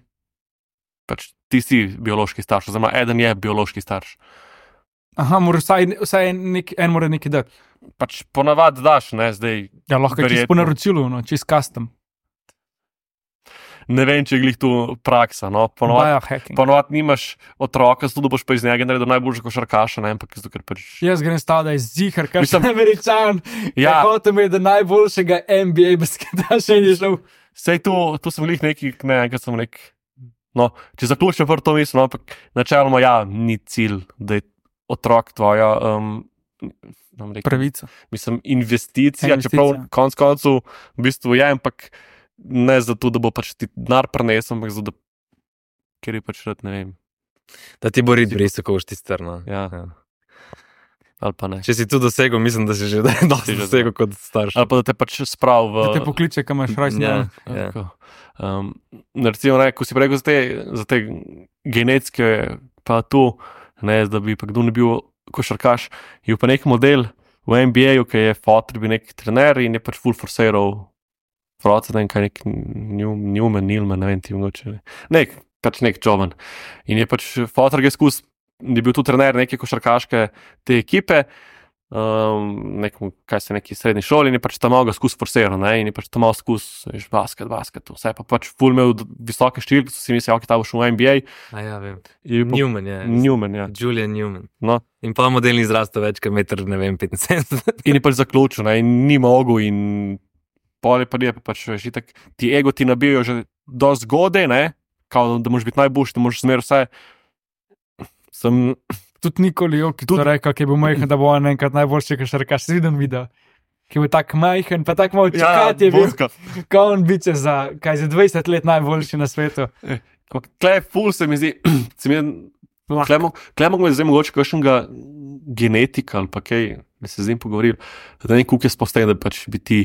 Pač ti si biološki starš, oziroma eden je biološki starš. Aha, mora vsaj, vsaj nek, en mora nekaj dati. Pač ponavadi daš, ne, zdaj Ja, lahko je čisto Verjetno. po naročilu, no, čisto custom. ne vem, če je glih tu praksa, no, ponavadi, Biohacking. ponavadi nimaš otroka, zato da boš pa iz njega naredil najboljšega košarkaša, ne, ampak zato, ker pač, Jaz grem stav, da je zihar, kar Mislim- sem američan. Ja, ja, hotel mi je, da najboljšega N B A basketaša ni šel. sej tu, tu sem glih neki, ne, enkrat sem nek, no, če zaključim prvo to misel, no, ampak načeloma ja, ni cilj, da je otrok tvoja, um, bom rekel, Pravica. mislim, investicija, Investicija. čeprav konc koncev v bistvu je, ampak ne zato, da bo pač ti denar prenesel, ampak zato, da, ker je pač rad, ne vem, Da ti bo rit brisal, ko boš ti strno. Ja. ali pa ne. Če si tu dosegel, mislim, da si že dosti Si že dosegel kot starš. Ali pa da te pač sprav v... Da te pokliče, kam imaš rojstni Ja, dan. ja. Tako. Um, recimo, ne, ko si rekel za te, za te genetske, pa tu, ne, da bi pa kdo ne bil košarkaš, je pa nek model v N B A-ju, ki je fotor, bi nek trener in je pač full forceral, vroca, ne vem, kaj nek New- Newman, Nilman, ne vem, ti mogoče, ne. nek, pač nek Jovan. In je pač fotor ga skus, je bil tu trener neke košarkaške te ekipe, um, nekom, kaj se neki srednji šoli in je pač tam malo ga skus forceral, ne, in je pač tam malo skus, veš, basket, basket, vse pa pač full imel d- visoke številke, so si mislili, ok, ta bo šel v N B A, A ja, vem. je pa Newman, ja. Newman, ja. Julian Newman. No, In pa model ni zrastel več, kot meter, ne vem, petinsedemdeset. in je pač zaključil, ne, in ni mogel in pol je pa je pa pač, veš, itak, ti ego ti nabijajo že do zgode, ne, kao, da moraš biti najboljši, da moraš smer vse. Sem, Tudi Nikoli Jokic Tudi- to rekel, ki je bil majhen, da bo on enkrat najboljši košarkaš. Si videl video, ki je bil tak majhen, pa tako malo čakati je bil, boska. ko on biče za, kaj za dvajset let najboljši na svetu. Ampak tle ful se mi zdi, se mi je Lahko. Klemo je zdaj mogoče kakšnega genetika ali pa kaj, da se z njim pogovoril, da ne kuk je spostavljen, da pač bi ti,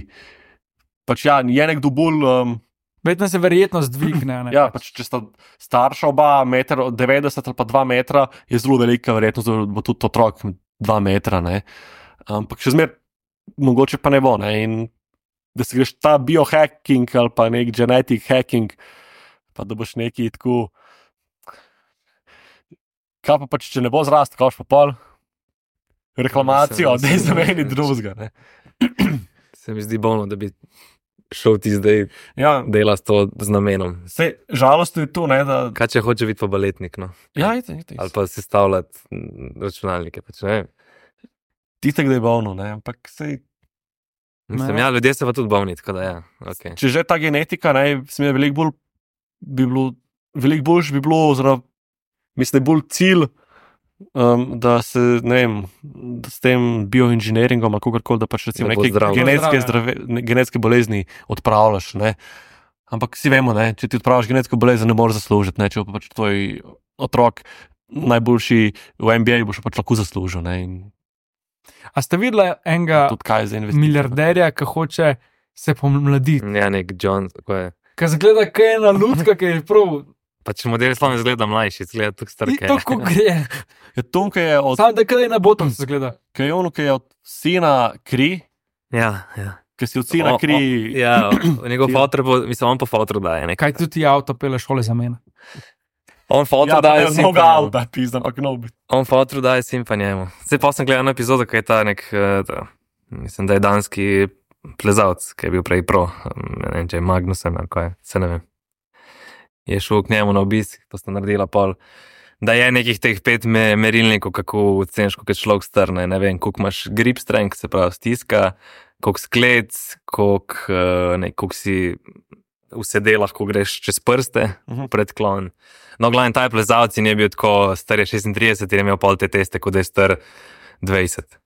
pač ja, je nekdo bolj, um, Vedno se verjetnost dvigne. Ne? ja, pač če sta starša oba, meter devetdeset ali pa dva metra, je zelo velika verjetnost, da bo tudi otrok dva metra, ne. Ampak še zmer, mogoče pa ne bo, ne, in da se greš ta biohacking ali pa nek genetic hacking, pa da boš neki tako, kaj pa pač, če ne bo zrast, kaj boš pa pol? Reklamacijo, Ja, se- da je se- za meni se- drugega, ne. Se mi zdi bolno, da bi šel ti zdaj Ja, delati to z namenom. se žalostno je to, ne, da... Kaj če hoče biti pa baletnik, no? Ja, ite, ite. Ali pa sestavljati mm, računalnike, pač, ne vem. Tiste, da je bolno, ne, ampak sej, Mislim, Ne. ja, ljudje so pa tudi bolni, tako da ja, ok. če že ta genetika, ne, se mi je veliko bolj, bi bilo, veliko boljš bi bilo, oziroma, mislim, da je bolj cilj, um, da se, ne vem, da s tem bioinženiringom ali kakorkoli, da pač recimo Da bo neke zdrav. genetske, Zdrav, ja. zdrave, ne, genetske bolezni odpravljaš, ne. Ampak si vemo, ne, če ti odpraviš genetsko bolezen, ne moreš zaslužiti, ne, če pa pač tvoj otrok najboljši v N B A, boš pač lahko zaslužil. Ne, in A ste videli enega tudi kaj za investicijo. milijarderja, ki hoče se pomladiti? Ja, nek John, tako je. Ki zgleda, kaj je ena lutka, ki je prav. Pač model sploh ne izgleda mlajši, izgleda tako star. In kaj je. to, ko gre. Ja, Tonka je od, Sam da kaj je na botom se zgleda. kaj je ono, ki je od sina kri, Ja, ja. ki si od sina O- kri. o- Ja, njegov fotor, po- mislim, on pa fotor daje. Ne? Kaj tudi ti avto pele šole za mene. On fotor Ja, daje pa ne mnogo simpa. avta, pizda, ampak no bi. On fotor daje simpa njemu. Zdaj pa sem gledal eno epizodo, kaj je ta nek, eh, ta, mislim, da je danski plezalc, ki je bil prej pro, ne vem, če je Magnusen ali kaj, se ne vem. Je šel k njemu na obisk, to sta naredila pol. Da je nekih teh pet me, merilnikov, kako oceniš, koliko je človek strne. Ne vem, koliko imaš grip strength, se pravi stiska, koliko sklec, koliko, uh, ne, koliko si v sedelah, ko greš čez prste, Mhm. predklon. No, glavno, ta je plezalec in je bil tako star je šestintrideset in je imel pol te teste, kot da je star dvajset.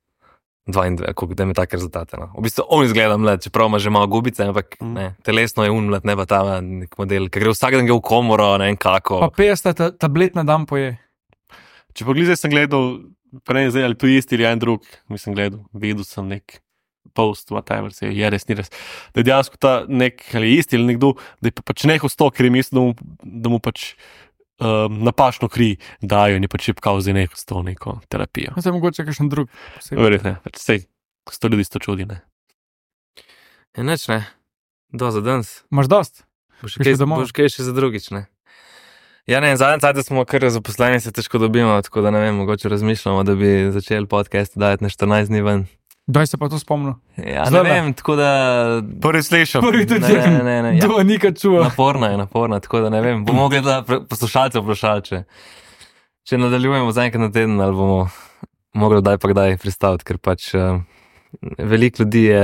dvaindvajset, koliko da ima take rezultate. No. V bistvu on izgleda mlad, čeprav ima že malo gubice, ampak Mhm. ne, telesno je un mlad, ne pa ta nek model, ki gre vsak dan gre v komoro, ne vem kako. Pa petdeset ta, tablet na dan poje. Če pa glizaj sem gledal, pa ne vem zdaj, ali to je isti ali en drug, mislim gledal, videl sem nek post, whatever, se je res, ni res. Da je dejansko ta nek, ali isti ali nekdo, da je pa pač nehal s to, ker je mislil, da mu, da mu pač um, napačno kri dajo in je pač šipkal za nehal s to neko terapijo. Zdaj mogoče kakšen drug. posebej. Verjetno, pač sej, sto ljudi sto čudi, ne. Je nič, ne. Do za danes. Imaš dost? Boš Greš kaj, domov? boš kaj še za drugič, ne. Ja, ne, zadnji cajt smo kar zaposleni, se težko dobimo, tako da ne vem, mogoče razmišljamo, da bi začeli podcast dajati na štirinajst dni ven. Daj se pa to spomnil. Ja, ne Zdajle. vem, tako da... Prvi slišam. Prvi tudi Ne, ne, ne, ne, ja. Do nikad čuva. Naporna je, naporna, tako da ne vem. Bomo mogli da poslušalce vprašati, če, če nadaljujemo za enkrat na teden, ali bomo mogli kdaj pa kdaj pristaviti, ker pač uh, veliko ljudi je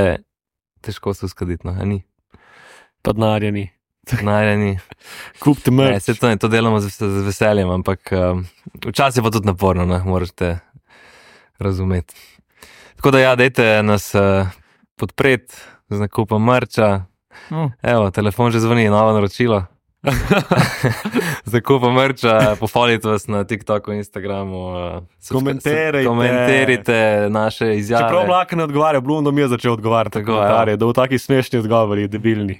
težko se uskladiti, no, a ni. Pa denarja ni. Najreni. Kupite Ne, mrč. se to, to delamo z, z veseljem, ampak um, včasih je pa tudi naporno, ne, morate razumeti. Tako da ja, dajte nas uh, podpreti z nakupom merča. No. Evo, telefon že zvoni, novo naročilo. Z nakupom merča, pofolite vas na TikToku, Instagramu. Uh, Komentirajte. Komentirajte naše izjave. Čeprav Mlaka ne odgovarja, Blundo mi je začel odgovarjati. Tako, Tako, da v taki smešni odgovori, debilni.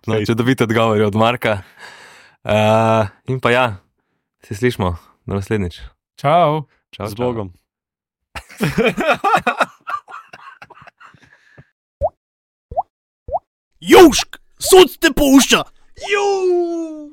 No, če dobite odgovore od Marka. Uh, in pa ja, se slišmo, do naslednjič. Čau. Čau, Z čau. Bogom. Južk, sod te pušča! Juuu!